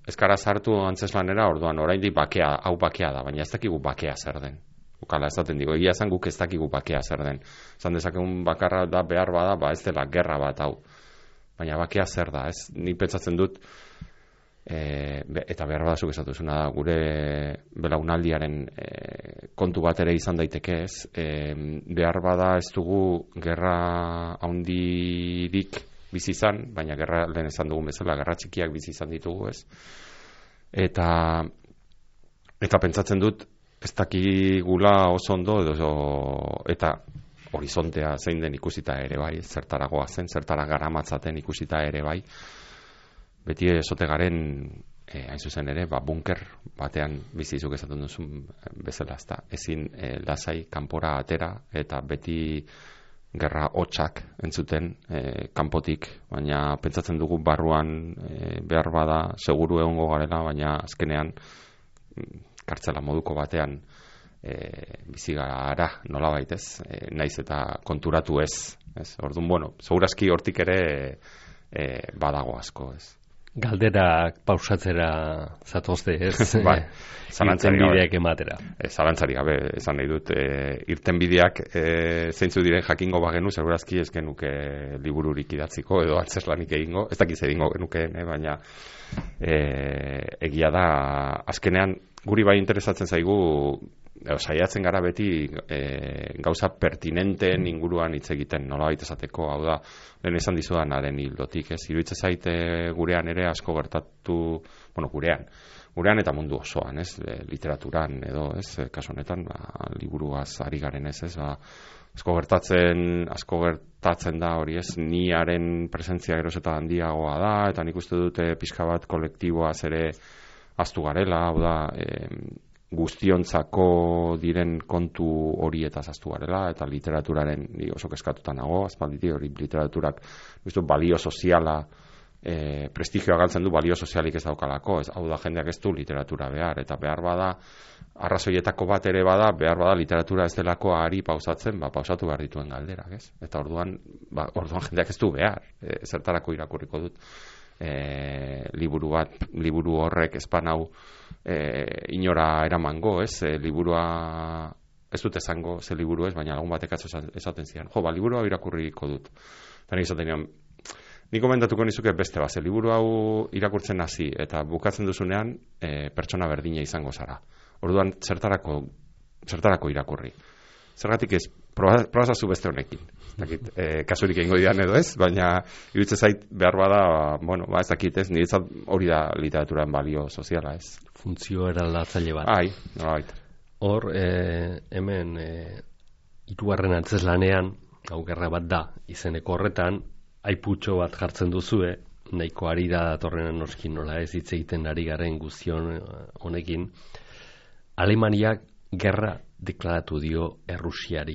Ez gara sartu antzeslanera, orduan oraindik bakea, hau bakea da, baina ez dakigu bakea zer den. Ukala esaten digo, egia esan guk ez dakigu bakea zer den. Esan dezakegun bakarra da behar bada, ez dela gerra bat hau. Baina bakea zer da, ez? Nik pentsatzen dut, eta behar bada zuk esatuzuna da, gure belaunaldiaren kontu bat ere izan daiteke, ez? Behar bada ez dugu gerra handirik bizi izan, baina gerra lehen esan dugun bezala, gerra txikiak bizi izan ditugu, ez? Eta pentsatzen dut, ez dakigula oso ondo, eta horizontea zein den ikusita ere bai, zertaragoa zen, zertara garamatzaten ikusita ere bai, beti esote garen, hain zuzen ere, bunker batean bizizuk esaten duzun bezala, ezta, ezin lasai kanpora atera, eta beti gerra hotsak entzuten kanpotik, baina pentsatzen dugu barruan behar bada seguru egongo garela, baina azkenean kartzela moduko batean bizi gara nolabait, ez, naiz eta konturatu ez. Orduan, segurazki hortik ere badago asko, ez. Galderak pausatzera zatozte, ez? Bai, irtenbideak ematera. Zalantzari gabe, esan nahi dut, irtenbideak zeintzu diren jakingo bagenu, segurazki ez genuke libururik idatziko, edo antzeslanik egingo, ez dakiz egingo genukeen, baina egia da, azkenean, guri bai interesatzen zaigu, saiatzen gara beti gauza pertinenteen inguruan hitz egiten, nolabait esateko, hau da, lehen esan dizudanaren hildotik, ez, iruditzen zaite gurean ere asko gertatu, gurean eta mundu osoan, ez, literaturan edo, ez, kasu honetan, liburuaz ari garen ez, asko gertatzen da hori, ez, niaren presentzia geroz eta handiagoa da, eta nik uste dute pixka bat kolektiboaz ere aztu garela, hau da, guztiontzako diren kontu horietaz aztu garela, eta literaturaren oso kezkatuta nago, azpalditi hori literaturak balio soziala prestigioa galtzen du balio sozialik ez daukalako, hau da jendeak ez du literatura behar, eta behar bada, arrazoietako bat ere bada, behar bada literatura ez delako ari pausatzen, pausatu behar dituen galderak, ez? Eta orduan jendeak ez du behar, zertarako irakurriko dut, liburu horrek espanau inora eramango, ez? Liburua ez dut esango ze liburu ez, baina lagun batek esaten zian. Liburua irakurriko dut. Eta nik esaten nion, nik komendatuko nizuke beste bat, liburu hau irakurtzen hasi eta bukatzen duzunean pertsona berdina izango zara. Orduan zertarako irakurri. Zergatik ez, probazazu beste honekin. Kasurik egingo didan edo ez, baina iruditzen zait behar bada, ez dakit ez, niretzat hori da literaturan balio soziala ez. Funtzio eraldatzaile bat. Nolabait. Hor, hemen hirugarren antzezlanean, hau gerra bat da, izeneko horretan, aiputxo bat jartzen duzue, nahiko ari da datorren noskin nola ez hitz egiten ari garen guztion honekin, Alemaniak gerra deklaratu dio Errusiari.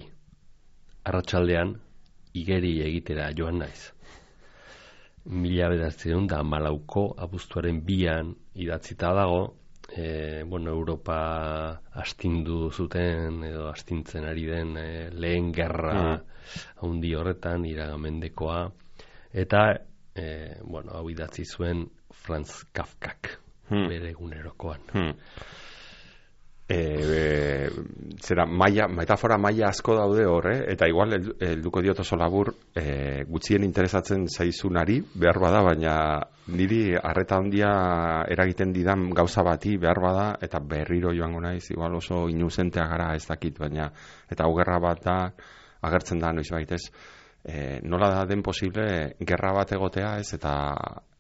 Arratsaldean igeri egitera joan naiz. 1914ko abuztuaren 2an idatzita dago, Europa astindu zuten edo astintzen ari den lehen gerra handi horretan, iragamendekoa, eta hau idatzi zuen Franz Kafkak bere egunerokoan. Metafora maila asko daude hor, eta igual helduko diot oso labur gutxien interesatzen zaizunari behar bada, baina niri arreta handia eragiten didan gauza bati behar bada, eta berriro joango naiz, igual oso inuzentea gara ez dakit, baina eta hau gerra bat da agertzen da noiz baitez, nola da den posible gerra bat egotea ez, eta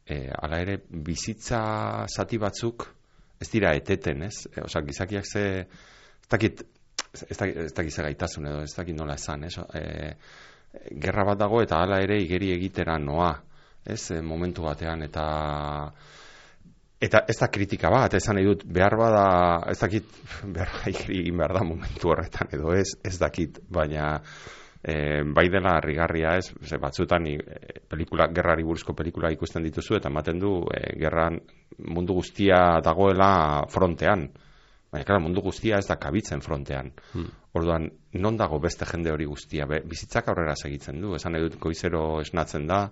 hala ere bizitza zati batzuk ez dira eteten, ez? Gizakiak ez dakit ze gaitasun edo, ez dakit nola esan, ez? Gerra bat dago eta hala ere igeri egitera noa, ez? Momentu batean, eta ez da kritika bat, esan nahi dut, behar bada, ez dakit, egin behar da momentu horretan edo, ez dakit, baina bai dela harrigarria ez, batzutan gerrari buruzko pelikula ikusten dituzu eta ematen du gerran mundu guztia dagoela frontean, baina mundu guztia ez da kabitzen frontean. Orduan, non dago beste jende hori guztia, bizitzak aurrera segitzen du, esan nahi dut goizero esnatzen da,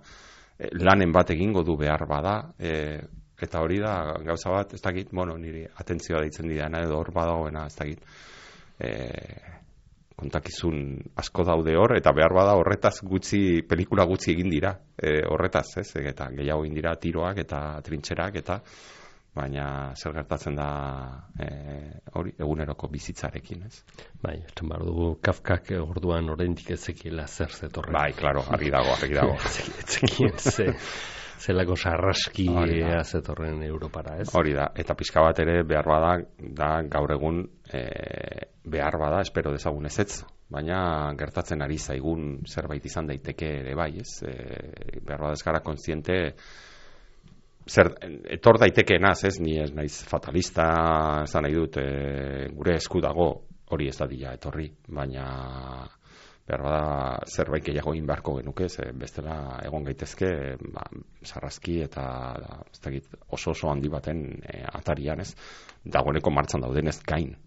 lanen bat egingo du behar bada, eta hori da gauza bat, ez dakit, niri atentzioa deitzen didana edo hor badagoena, ez dakit, kontakizun asko daude hor, eta behar bada horretaz pelikula gutxi egin dira, horretaz, ez, eta gehiago egin dira tiroak eta trintxerak, eta baina zer gertatzen da hori eguneroko bizitzarekin, ez? Bai, esan behar dugu Kafkak orduan oraindik ez zekiela zer zetorren. Bai, klaro, argi dago. Zekien zelako sarraskia zetorren Europara, ez? Hori da, eta pixka bat ere behar bada, da gaur egun behar bada, espero dezagun ezetz, baina gertatzen ari zaigun zerbait izan daiteke ere bai, ez? Behar bada ez gara kontziente etor daitekenaz, ez? Ni ez naiz fatalista, esan nahi dut, gure esku dago hori ez dadila etorri, baina behar bada zerbait gehiago egin beharko genuke, bestela egon gaitezke sarrazki eta oso handi baten atarian, ez? Dagoeneko martxan dauden ez gain.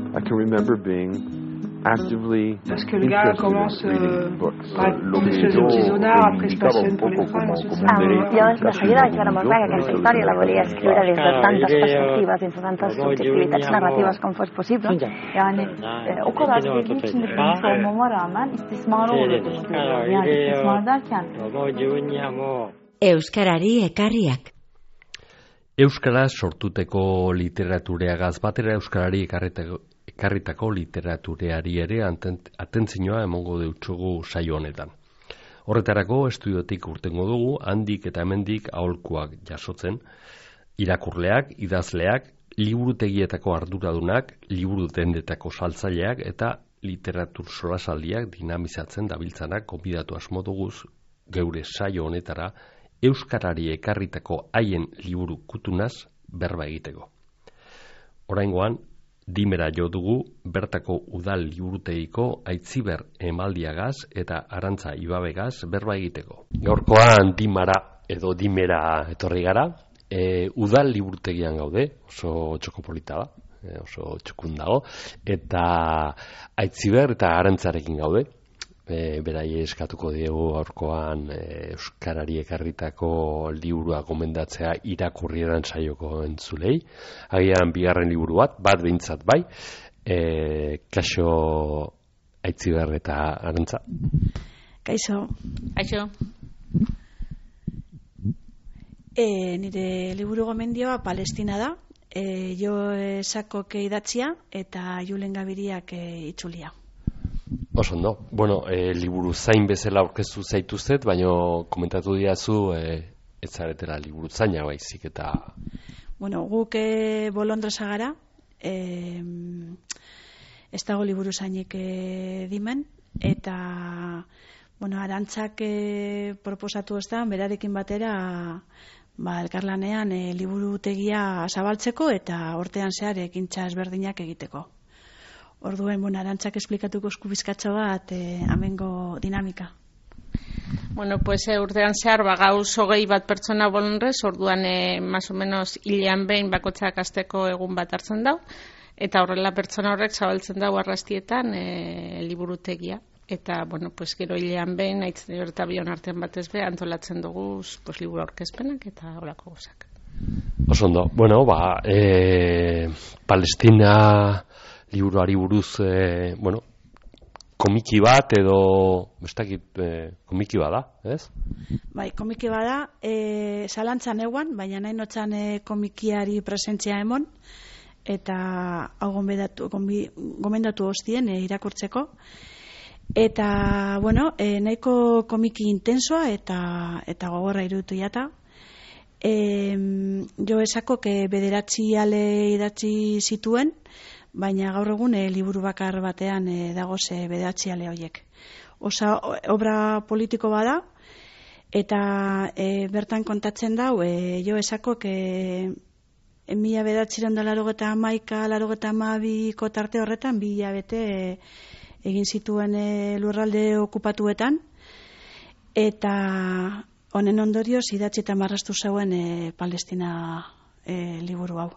I can remember being actively parce que le gars commence par des choses artisanales, après se passione per le femme. Jo de seguida vaig veure molt clar que aquesta història la volia escriure des de tantes perspectives, des de tantes subjektivitats narratives com fos possible. Yani o kadar sevgi içinde büyümüş olmama rağmen istismara uğradığımı görüyorum. Yani istismar derken Euskarari ekarriak. Euskara sortuteko literatureagaz batera euskarari ekarritako literatureari ere atentzioa emongo deutsugu saio honetan. Horretarako estudiotik urtengo dugu, handik eta hemendik aholkuak jasotzen, irakurleak, idazleak, liburutegietako arduradunak, liburu dendetako saltzaileak eta literatur solasaldiak dinamizatzen dabiltzanak gonbidatu asmo duguz geure saio honetara euskarari ekarritako haien liburu kutunaz berba egiteko. Oraingoan, Dimera jo dugu bertako udal liburutegiko Aitziber Emaldiagaz eta Arantza Ibabegaz berba egiteko. Gaurkoan Dimera etorri gara, udal liburutegian gaude, oso txokopolita da, oso txukun dago, eta Aitziber eta Arantzarekin gaude. Berai eskatuko diegu gaurkoan euskarari ekarritako liburua gomendatzea irakurri edan saioko entzulei. Agian bigarren liburu bat behintzat bai. Kaixo Aitziber eta Arantza. Kaixo. Nire liburu gomendioa Palestina da. Jo Sakok idatzia eta Julen Gabiriak itzulia. Oso ondo. Bueno, liburu zain bezala aurkeztu zaituztet, baina komentatu diazu ez zaretela liburu zaina baizik eta... Bueno, guk bolondresa gara, ez dago liburu zainik dimen, eta Arantzak proposatu ez da, berarekin batera elkarlanean liburutegia zabaltzeko eta hortean zehar ekintza ezberdinak egiteko. Orduen, Arantzak esplikatuko eskubizkatxo bat amengo dinamika. Bueno, pues urtean zehar gauz 20 bat pertsona bolonrez, orduan más o menos hilean behin bakotzak asteko egun bat hartzen dau, eta horrela pertsona horrek zabaltzen dau arrastietan liburutegia. Eta, bueno, pues gero hilean behin, aitzen eta bion artean batez be, antolatzen dugu pues, liburu aurkezpenak eta horako gozak. Oso ondo. Bueno, Palestina... liburuari buruz, komiki bat edo, komiki bada, ez? Bai, komiki bada, zalantzan eguan, baina nahi notzan komikiari presentzia emon, eta hau gomendatu hostien irakurtzeko. Eta, nahiko komiki intensoa eta gogorra iruditu jata. Jo Sakok bederatzi ale idatzi zituen, baina gaur egun liburu bakar batean dagoz bederatzi ale horiek. Obra politiko bada, eta bertan kontatzen dau, Jo Sakok 1991-92ko tarte horretan 2 hilabete egin zituen lurralde okupatuetan, eta honen ondorioz idatzi eta marraztu zeuen Palestina liburu hau.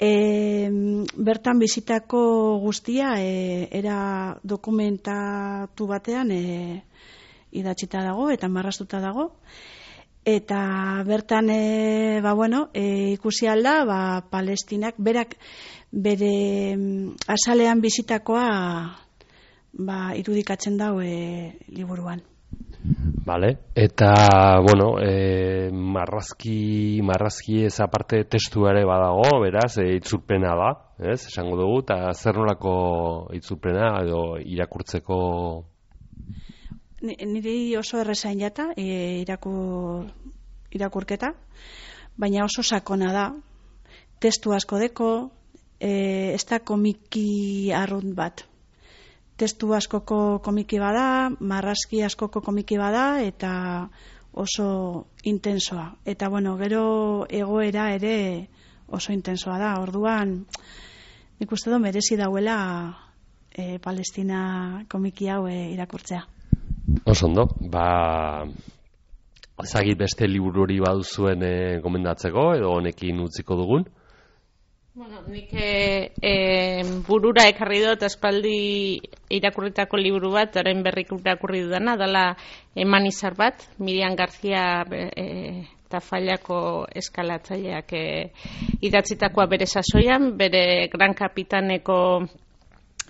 Bertan bizitako guztia era dokumentatu batean idatzita dago eta marraztuta dago, eta bertan ikusi alda Palestinak berak bere azalean bizitakoa irudikatzen dau liburuan. Vale, eta, marrazki ez aparte testu ere badago, beraz, itzulpena da, ez, esango dugu, eta zer nolako itzulpena edo irakurtzeko? Niri oso errezain jata, irakurketa, baina oso sakona da, testu asko deko, ez da komiki arrunt bat. Testu askoko komiki bada, marrazki askoko komiki bada, eta oso intensoa. Eta, gero egoera ere oso intensoa da. Orduan, nik uste merezi dauela Palestina komiki hau irakurtzea. Oso ondo, ezagit beste liburu hori baduzuen gomendatzeko, edo honekin utziko dugun? Nik burura ekarri dut aspaldi irakurritako liburu bat, orain berrik irakurri dudana, dala Eman izar bat, Miriam García Tafallako eskalatzaileak idatzitakoa bere sasoian, bere Gran Kapitaneko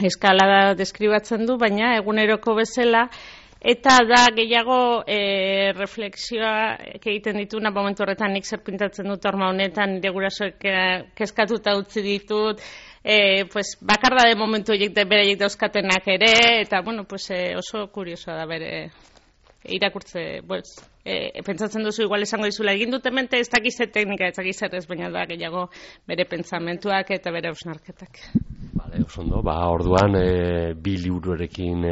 eskalada deskribatzen du, baina eguneroko bezala, eta da gehiago reflexioa egiten dituna momentu horretan nik zer pintatzen dut horma honetan, nire gurasoek kezkatuta utzi ditut, bakarra de momentu bereiek dauzkatenak ere, eta oso kuriosoa da bere irakurtze, pentsatzen duzu igual esango dizula egin dut hemente ez dakiz teknika, ez dakiz ez, baina da gehiago bere pentsamentuak eta bere hausnarketak. Vale, oso ondo, orduan bi liburuarekin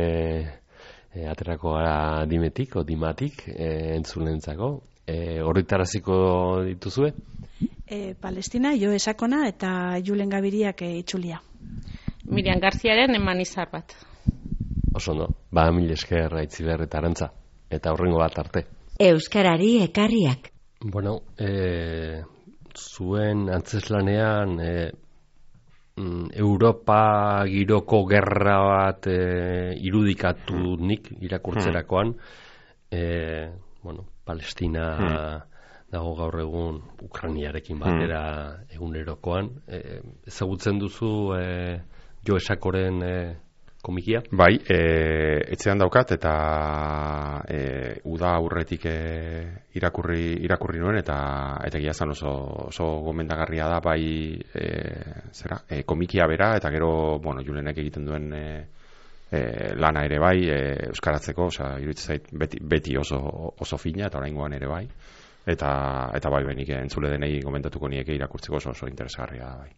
aterako gara dimetik o dimatik entzulentzako. Horritaraziko dituzue? Palestina, Jo Esakona eta Julen Gabiriak itzulia. Miriam Garziaren eman izar bat. Oso no, mil esker Aitziber eta Arantza, eta horrengo bat arte. Euskarari ekarriak. Bueno, zuen antzeslanean Europa giroko gerra bat irudikatu nik irakurtzerakoan, Palestina dago gaur egun Ukrainiarekin batera egunerokoan. Ezagutzen duzu Jo Esakoren komikia? Bai, etxean daukat eta uda aurretik irakurri nuen eta egia zan oso gomendagarria da bai komikia bera eta gero, Julenek egiten duen lana ere bai euskaratzeko, iruditzen zait beti oso fina eta oraingoan ere bai. Eta bai benik entzule denei komentatuko nieke irakurtzeko oso interesgarria da bai.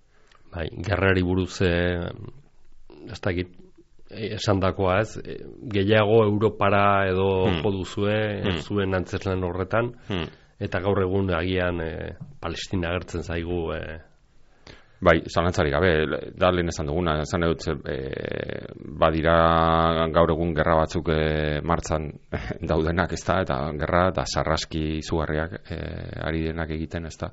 Bai, gerrari buruz ez dakit esandakoa ez, gehiago Europara edo jo duzue zuen antzeslan horretan, eta gaur egun agian Palestina agertzen zaigu. Bai, zalantzarik gabe, da lehen esan duguna, esan dut badira gaur egun gerra batzuk martzan daudenak, ez da, eta gerra eta sarraski izugarriak ari denak egiten, ez da.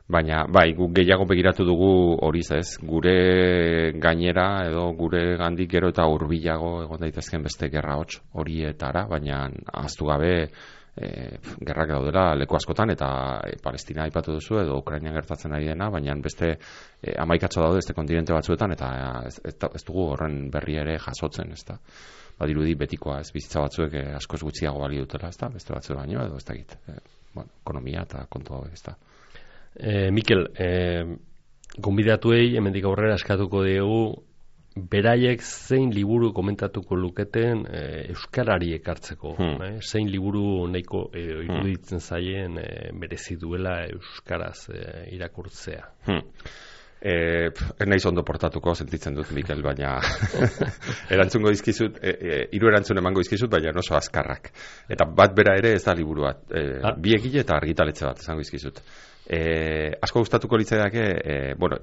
Baina, bai, guk gehiago begiratu dugu hori ez, gure gainera edo gure gandik gero eta hurbilago egon daitezken beste gerra hots horietara, baina ahaztu gabe gerrak daudela leku askotan eta Palestina aipatu duzu edo Ukrainian gertatzen ari dena, baina beste 11 daude beste kontinente batzuetan eta ez dugu horren berri ere jasotzen, ez da. Badirudi betikoa ez, bizitza batzuek askoz gutxiago bali dutela, ez da, beste batzu baino edo ez dakit. Ekonomia eta kontu hau ez da. Mikel, gonbidatuei hemendik aurrera eskatuko diegu beraiek zein liburu komentatuko luketen euskarari ekartzeko. Zein liburu nahiko iruditzen zaien merezi duela euskaraz irakurtzea. Ez naiz ondo portatuko, sentitzen dut, Mikel, baina erantzungo dizkizut, 3 erantzun emango dizkizut, baina oso azkarrak. Eta bat bera ere ez da liburu bat. Bi egile eta argitaletxe bat esango dizkizut. Asko gustatuko litzaidake,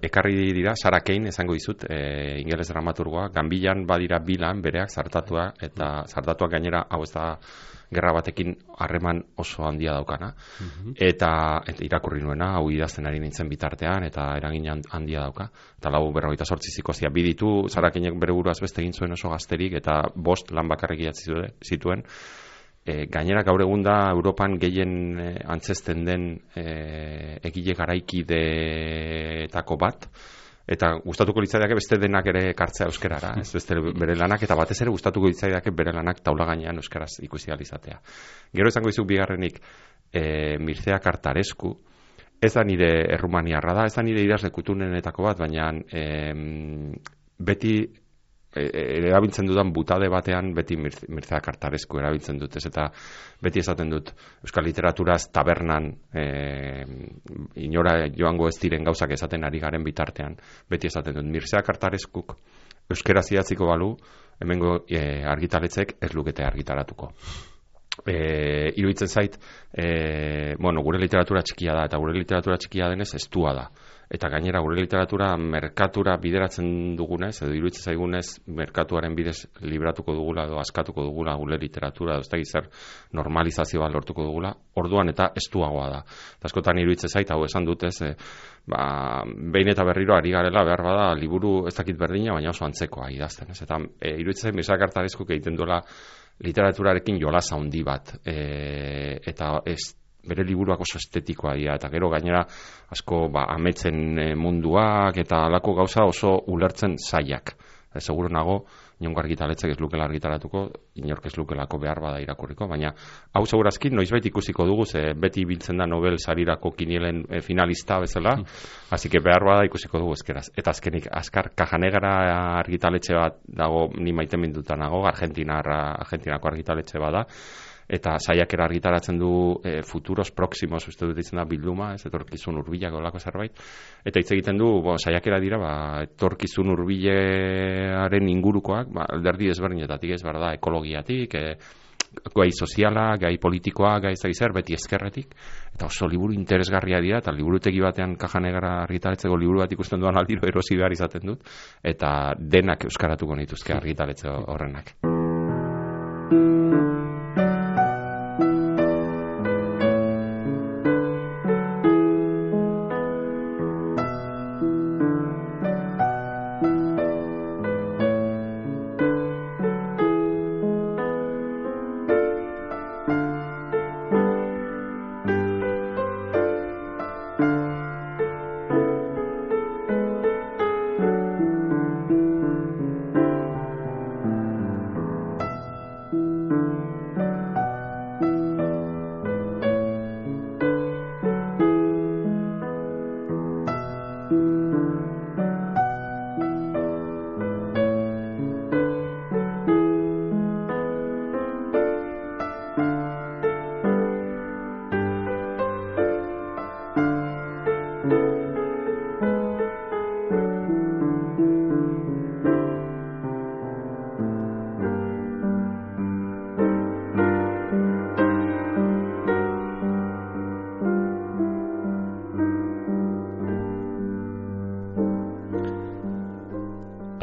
ekarri dira, Sarah Kane esango dizut, ingeles dramaturgoa, Ganbilan badira bilan bereak zartatua, eta zartatuak gainera, hau ez da gerra batekin harreman oso handia daukana, eta irakurri nuena, hau idazten ari nintzen bitartean, eta eragin handia dauka, eta 48 zikosia biditu, Sarah Kanek bere buruaz beste egin zuen oso gazterik, eta 5 lan bakarrik idatzi zituen. Gainera gaur egun da Europan gehien antzesten den egile garaikideetako bat, eta gustatuko litzaidake beste denak ere ekartzea euskerara, ez beste bere lanak, eta batez ere gustatuko litzaidake bere lanak taula gainean euskaraz ikusi ahal izatea. Gero esango dizuk bigarrenik Mircea Kartaresku, ez da nire errumaniarra da, ez da nire idazle kutunenetako bat, baina beti erabiltzen dudan butade batean beti Mircea Kartaresku erabiltzen dut, ez eta beti esaten dut euskal literaturaz tabernan inora joango ez diren gauzak esaten ari garen bitartean, beti esaten dut Mircea Kartareskuk euskaraz idatziko balu, hemengo argitaletzek ez lukete argitaratuko. Iruditzen zait, gure literatura txikia da, eta gure literatura txikia denez estua da. Eta gainera gure literatura merkatura bideratzen dugunez, edo iruditzen zaigunez merkatuaren bidez libratuko dugula edo askatuko dugula gure literatura, edo ez da gizar normalizazioa lortuko dugula, orduan eta estuagoa da. Eta askotan iruditzen zait, hau esan dutez, behin eta berriro ari garela behar bada liburu ez dakit berdina, baina oso antzekoa idazten. Eta iruditzen zait, Mircea Kartareskuk egiten duela literaturarekin jolas handi bat, eta bere liburuak oso estetikoa dira, eta gero gainera asko ametzen munduak eta alako gauza oso ulertzen zailak. Seguro nago, inongo argitaletzek ez lukela argitaratuko, inork ez lukelako behar bada irakurriko, baina hau segurazki noizbait ikusiko dugu, ze beti biltzen da Nobel sarirako kinielen finalista bezala, hasi que behar bada ikusiko dugu ezkeraz. Eta azkenik, azkar Cajanegara argitaletxe bat dago, ni maite minduta nago, Argentinako argitaletxe bada, eta saiakera argitaratzen du futuros próximos, uste dut ditzen da bilduma, ez etorkizun hurbilak olako zerbait, eta hitz egiten du, saiakera dira, etorkizun hurbilearen ingurukoak, alderdi desberdinetatik ez behar da, ekologiatik, gai soziala, gai politikoa, gai zer, beti ezkerretik, eta oso liburu interesgarria dira, eta liburutegi batean Caja Negra argitaratzeko liburu bat ikusten duan aldiro erosi behar izaten dut, eta denak euskaratuko nituzke argitaletxe horrenak.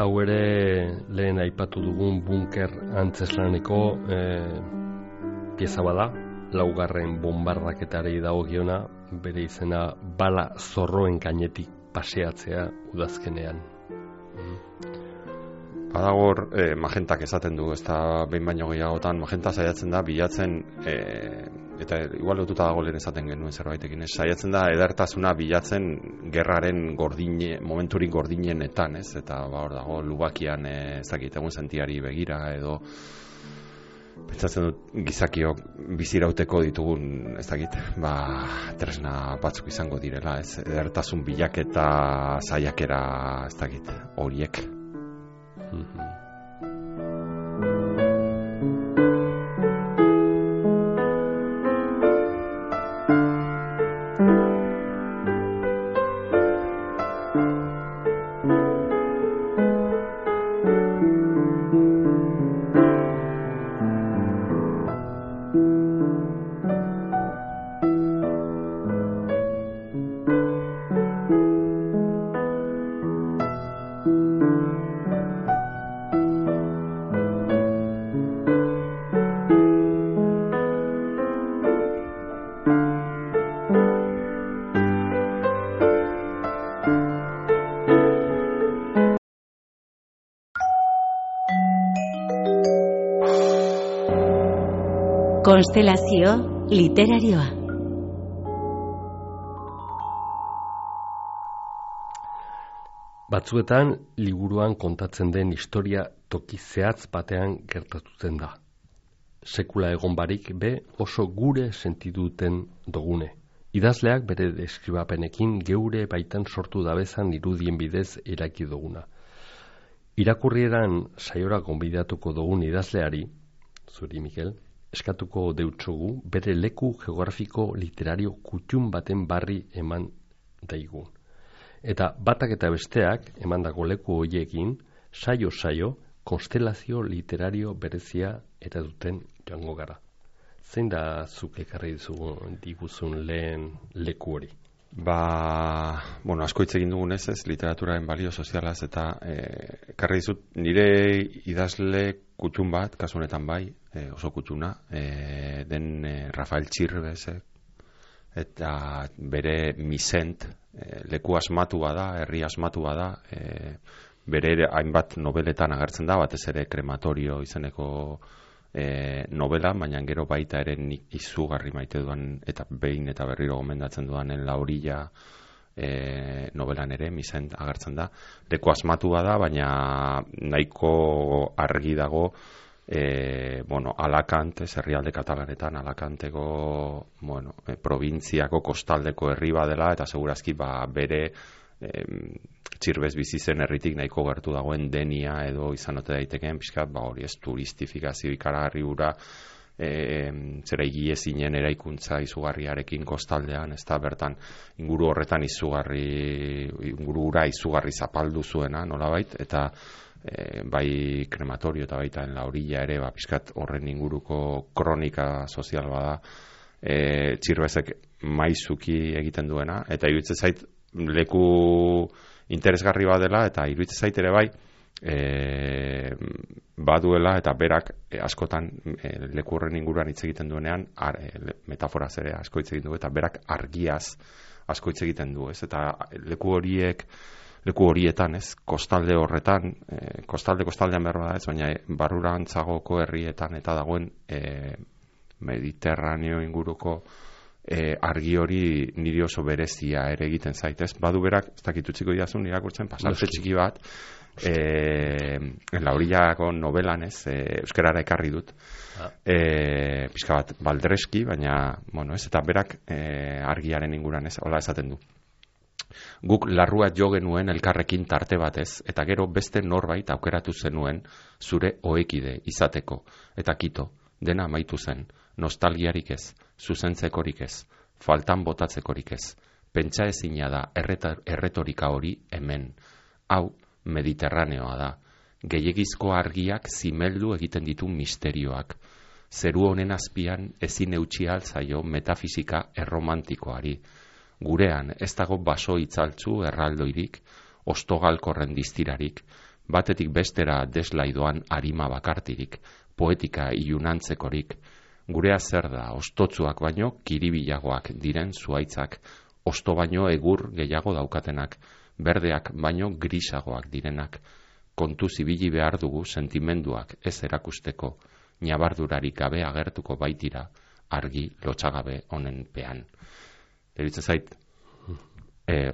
Hau ere lehen aipatu dugun bunker antzeslaneko pieza bada, laugarren bombardaketari dagokiona, bere izena bala zorroen gainetik paseatzea udazkenean. Badagor magentak esaten du, ez da behin baino gehiagotan, magenta saiatzen da bilatzen, eta igual lotuta dago lehen esaten genuen zerbaitekin, saiatzen da edertasuna bilatzen gerraren momenturik gordinenetan, ez? Eta hor dago lubakian ezakit egun sentiari begira edo pentsatzen dut gizakiok bizirauteko ditugun, ez dakit, tresna batzuk izango direla, ez? Edertasun bilaketa saiakera, ez dakit, horiek. Konstelazio literarioa. Batzuetan liburuan kontatzen den historia toki zehatz batean gertatzen da. Sekula egon barik be oso gure sentiduten dogune. Idazleak bere deskribapenekin geure baitan sortu dabezan irudien bidez eraki duguna. Irakurrieran saiora gonbidatuko dugun idazleari, zuri Mikel, eskatuko deutsogu bere leku geografiko literario kutxun baten barri eman daigun. Eta batak eta besteak emandako leku horiekin saio konstelazio literario berezia eta duten joango gara. Zein da zuk ekarri diguzun lehen leku hori? Asko hitz egin dugunez, ez, literaturaren balio sozialaz, eta ekarri dizut nire idazle kutxun bat, kasu honetan bai, oso kutxuna, den Rafael Txirbez, eta bere Misent, leku asmatu bada, herri asmatu bada, bere hainbat nobeletan agertzen da, batez ere Krematorio izeneko novela, baina gero baita ere nik izugarri maite duan eta behin eta berriro gomendatzen duanen La Orilla novelan ere Misent agertzen da. Leku asmatu bada, baina nahiko argi dago Alakant, herrialde katalanetan Alakanteko probintziako kostaldeko herri badela, eta segurazki bere Txirbez bizi zen herritik nahiko gertu dagoen Denia edo izan ote daitekeen pixkat, hori ez turistifikazio ikaragarri hura zera igiezinen eraikuntza izugarriarekin kostaldean, ez da bertan inguru horretan inguru hura izugarri zapaldu zuena nolabait, eta bai krematorio eta baita en la orilla ere, pizkat horren inguruko kronika sozial bada, Txirbezek maizuki egiten duena, eta iruditzen zait leku interesgarri badela, eta iruditzen zait ere bai, baduela eta berak askotan leku horren inguruan hitz egiten duenean metaforaz ere asko hitz egiten du, eta berak argiaz asko hitz egiten du, ez? Eta leku horietan, ez? Kostalde horretan, kostaldean behar bada, ez? Baina barrurantzagoko herrietan eta dagoen Mediterraneo inguruko argi hori niri oso berezia ere egiten zaitez. Badu berak, ez dakit utziko idazun irakurtzen, pasarte txiki bat, la orillako novelan, ez, euskarara ekarri dut, pixka bat baldreski, baina, bueno, ez, eta berak argiaren inguran, ez, hola esaten du. Guk larrua jo genuen elkarrekin tarte batez, eta gero beste norbait aukeratu zenuen zure ohekide izateko, eta kito, dena amaitu zen, nostalgiarik ez, zuzentzekorik ez, faltan botatzekorik ez, pentsa ezina da erretorika hori hemen, hau Mediterraneoa da, gehiegizko argiak zimeldu egiten ditu misterioak, zeru honen azpian ezin eutsi altzaio metafisika erromantikoari, gurean ez dago baso itzaltzu erraldoirik, ostogalkorren distirarik, batetik bestera deslaidoan arima bakartirik, poetika ilunantzekorik, gurea zer da, ostotzuak baino kiribilagoak diren zuaitzak, osto baino egur gehiago daukatenak, berdeak baino grisagoak direnak, kontu zibili behar dugu sentimenduak ez erakusteko, nabardurarik gabe agertuko baitira, argi lotsagabe honen pean. Deritze zait,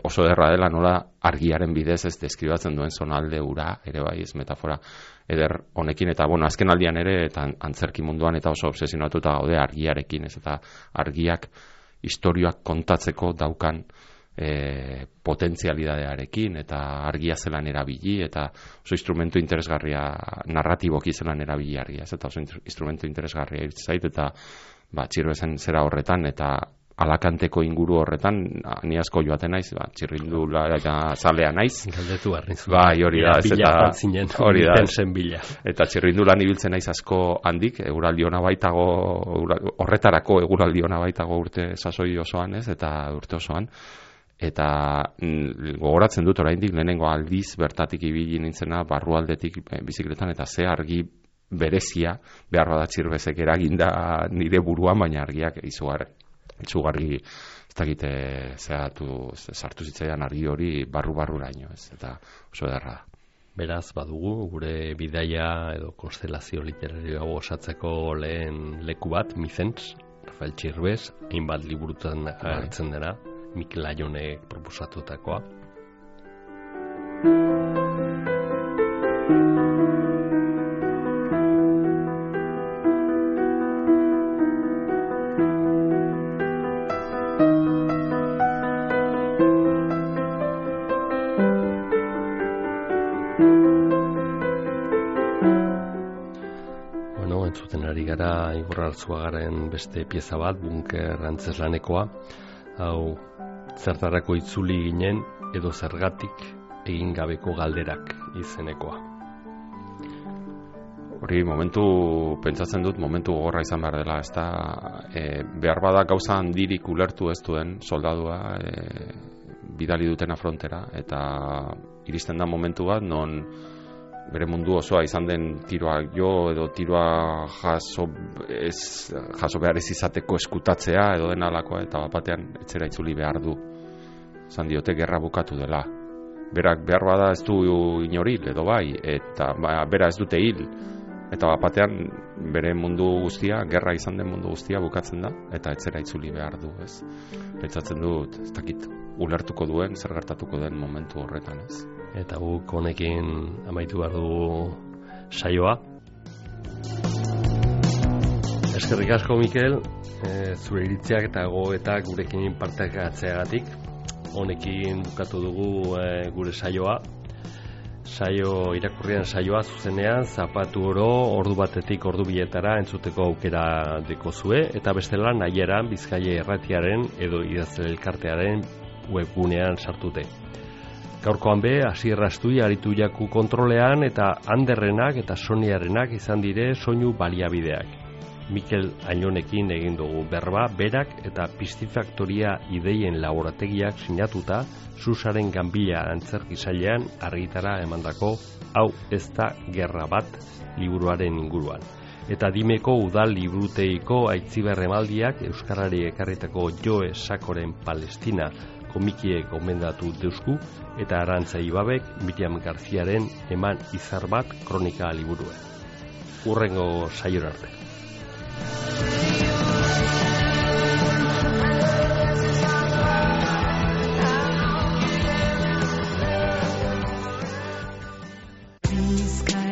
oso derra dela nola argiaren bidez ez deskribatzen duen zonalde ura, ere bai, ez metafora eder honekin, eta bueno, azken aldian ere, eta antzerki munduan eta oso obsesionatuta gaude argiarekin, ez, eta argiak istorioak kontatzeko daukan potentzialidadearekin, eta argia zelan erabili, eta oso instrumentu interesgarria, narratiboki zelan erabili argia, ez, eta oso instrumentu interesgarria zait, eta Txirbezen zera horretan, eta Alakanteko inguru horretan, ni asko joaten naiz, txirrindula eta zalea naiz. Galdetu barrizu. Bai, hori da. Hori da. Eta txirrindulan ibiltzen naiz asko handik, eguraldi ona baitago, horretarako eguraldi ona baitago urte sasoi osoan, ez, eta urte osoan. Eta gogoratzen dut oraindik lehenengo aldiz bertatik ibili nintzena barrualdetik bizikletan, eta ze argi berezia behar bada Txirbezek eraginda nire buruan, baina argiak izugarri ez dakite sartu zitzaidan argi hori barru-barruraino, ez, eta oso ederra da. Beraz, badugu, gure bidaia edo konstelazio literarioa osatzeko lehen leku bat, Mizentz, Rafael Txirbez, hainbat liburutan agertzen dena, Mikel Aionek proposatutakoa. Igor Arzuagaren beste pieza bat, Bunker antzeslanekoa, hau zertarako itzuli ginen edo zergatik egin gabeko galderak izenekoa. Hori pentsatzen dut momentu gogorra izan behar dela, ez da, behar bada gauza handirik ulertu ez duen soldadua bidali dutena frontera, eta iristen da momentu bat non bere mundu osoa izan den tiroa jo edo tiroa jaso behar ez izateko eskutatzea edo den alakoa, eta batean etzera itzuli behar du. Zan diote gerra bukatu dela. Berak behar bada ez du inoril edo bai, eta bera ez dute hil. Eta batean bere mundu guztia, gerra izan den mundu guztia bukatzen da, eta etzera itzuli behar du, ez. Pentsatzen dut, ez dakit, ulertuko duen, zer gertatuko den momentu horretan, ez. Eta guk honekin amaitu behar dugu saioa. Eskerrik asko, Mikel, zure iritziak eta gogoetak gurekin partekatzeagatik. Honekin bukatu dugu gure saioa. Irakurrian saioa zuzenean, zapatu oro, ordu batetik ordu bietara entzuteko aukera dekozue, eta bestela nahieran Bizkaia Irratiaren edo Idazle Elkartearen webgunean sartute. Gaurkoan be, Asier Astui aritu jaku kontrolean eta Anderrenak eta Soniarenak izan dire soinu baliabideak. Mikel Ainonekin egin dugu berba, berak eta Pistifaktoria ideien laborategiak sinatuta Susaren Ganbila antzerkisailean argitara emandako Hau ez da gerra bat liburuaren inguruan. Eta Dimeko udal liburuteiko Aitziber emaldiak euskarari ekarritako Joe Sakoren Palestina komikiek gomendatu deusku eta Arantza Ibabek Miriam Garziaren Eman izar bat kronika liburua. Hurrengo saiora arte. Sky